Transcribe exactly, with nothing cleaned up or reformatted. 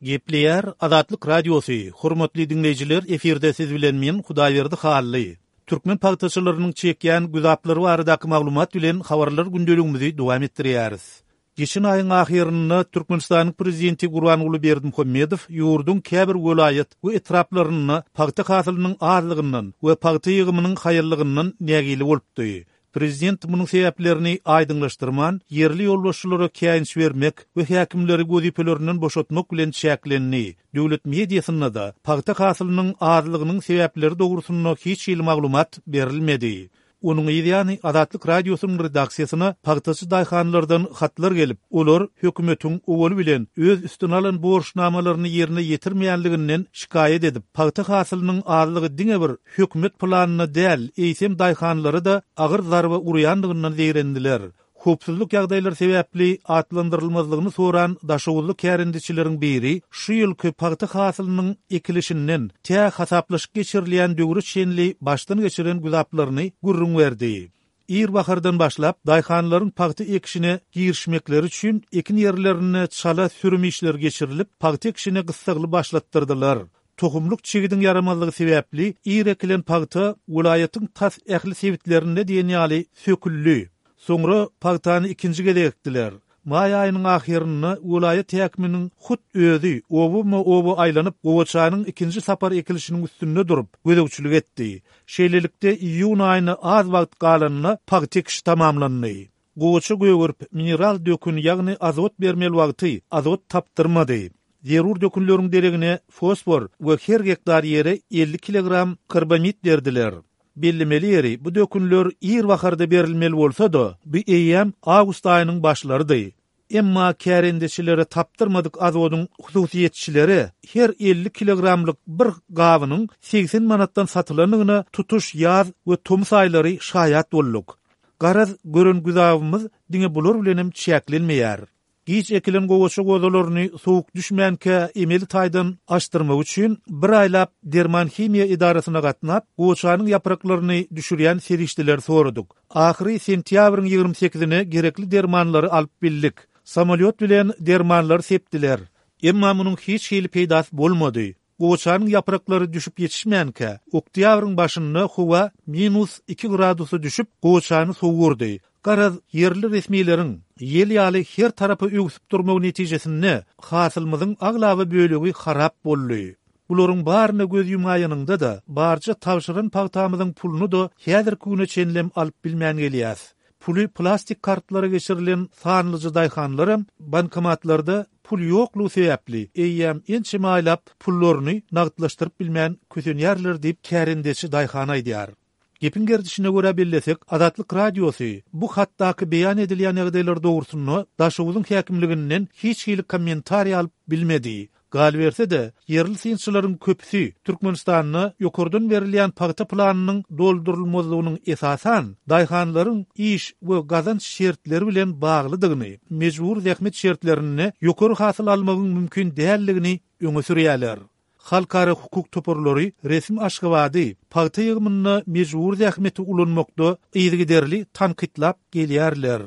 Gepleýär Azatlyk Radiosy, Hormatly diňleýjiler, efirde siz bilen men Hudaýberdi Hally. Türkmen pagtaçylarynyň çekýän güzaplary baradaky maglumat bilen habarlar gündeligimizi dowam etdirýäris. Geçen aýyň ahyrynda Türkmenistanyň prezidenti Gurbanguly Berdimuhamedow ýurduň käbir welaýat we etraplarynda pagta hasylynyň azlygyndan we pagta ýygymynyň haýallygyndan nägile bolupdy. Prezident munuň sebäplerini aýdyňlaşdyrman, ýerli ýolbaşçylara käýinç bermek we häkimleri wezipelerinden boşatmak bilen çäklendi. Döwlet mediasynda-da pagta hasylynyň azlygynyň sebäpleri dogrusynda hiç hili maglumat berilmedi. Onuň ýany Azatlyk Radiosynyň redaksiýasyna pagtaçy daýhanlardan hatlar gelip, olar hökümetiň owaly bilen öz üstüne alan borçnamalaryny ýerine ýetirmeýänliginden şikaýat edip, pagta hasylynyň azlygy diňe bir hökümet planyna däl, eýsem daýhanlara-da agyr zarba urýandygyndan zeýrendiler. Howpsuzlyk ýagdaýlary sebäpli atlandyrylmazlygyny soran Daşoguzly kärendeçileriň biri şu ýylky pagta hasylynyň ekilişinden tä hasaplaşyk geçirilýän döwre çenli başdan geçiren güzaplaryny gürrüň berdi. Ir bahardan başlap daýhanlaryň pagta ekişine girişmekleri üçin ekin ýerlerinde çala sürüm işleri geçirilip, pagta ekişine gyssagly başlatdyrdylar. Tohumlyk çigidiň ýaramazlygy sebäpli ir ekilen pagta welaýatyň tas ähli sebitlerinde diýen ýaly söküldi. Soňra pagtany ikinji gezek ekdiler. Maý aýynyň ahyrynda welaýat häkiminiň hut özi oba-oba aýlanyp, gowaçanyň ikinji sapar ekilişiniň üstünde durup gözegçilik etdi. Şeýlelikde iýun aýyna az wagt galanyna pagta ekişi tamamlandy. Gowaça gögerip mineral dökün ýagny azot bermeli wagty azot tapdyrmady. Zerur dökünleriň deregine fosfor we her gektar ýere elli kilogram karbamid berdiler. Bellemeli ýeri bu dökünler ir baharda berilmeli bolsa-da, bu eýýäm awgust aýynyň başlarydy. Emma kärendeçilere tapdyrmadyk azodyň hususyýetçilere her elli kilogramlyk bir gabynyň seksen manatdan satylandygyna tutuş ýaz we tomus aýlary şaýat bolduk. Garaz gören güzabymyz diňe bular bilenem çäklenmeýär. Giç ekilen gowaça gozalaryny soğuk düşmänkä emeli taýdan açdyrmak üçin bir aýlap derman himiýa edarasyna gatnap, gowaçanyň ýapraklaryny düşürýän serişdeleri soradyk. Ahyry sentýabryň ýigrimi sekizine gerekli dermanlary alyp bildik. Samolýot bilen dermanlary sepdiler. Emma munuň hiç hili peýdasy bolmady. Gowaçanyň ýapraklary düşüp ýetişmänkä, oktýabryň başynda howa minus iki gradusa düşüp, gowaçany sowurdy. Garaz, ýerli resmileriň ýel ýaly her tarapa öwsüp durmagy netijesinde hasylymyzyň aglaba bölegi harap boldy. Bularyň baryna göz ýumaýanyňda-da barja tabşyran pagtamyzyň puluny da häzirki güne çenlem alyp bilmän gelýäs. Puly plastik kartlara geçirilen sanlyja daýhanlaram bankomatlarda pul ýoklugy sebäpli eýýäm ençeme aýlap pullaryny nagtlaşdyryp bilmän kösenýärler diýip kärendeçi daýhan aýdýar. Gepiň gerdişine görä bellesek, Azatlyk Radiosy bu hatdaky beýan edilýän ýagdaýlar dogrusynda Daşoguzyň häkimliginden hiç hili kommentariý alyp bilmedi. Galyberse-de, ýerli synçylaryň köpüsi Türkmenistanda ýokardan berilýän pagta planynyň doldurylmazlygynyň esasan daýhanlaryň iş we gazanç şertleri bilen baglydygyny, mejbur zähmet şertlerinde ýokary hasyl almagyň mümkin däldigini öňe sürýärler. Halkara hukuk toparlary resmi Aşgabady pagta ýygymynda mejbur zähmeti ulanmakda yzygiderli tankytlap gelýärler.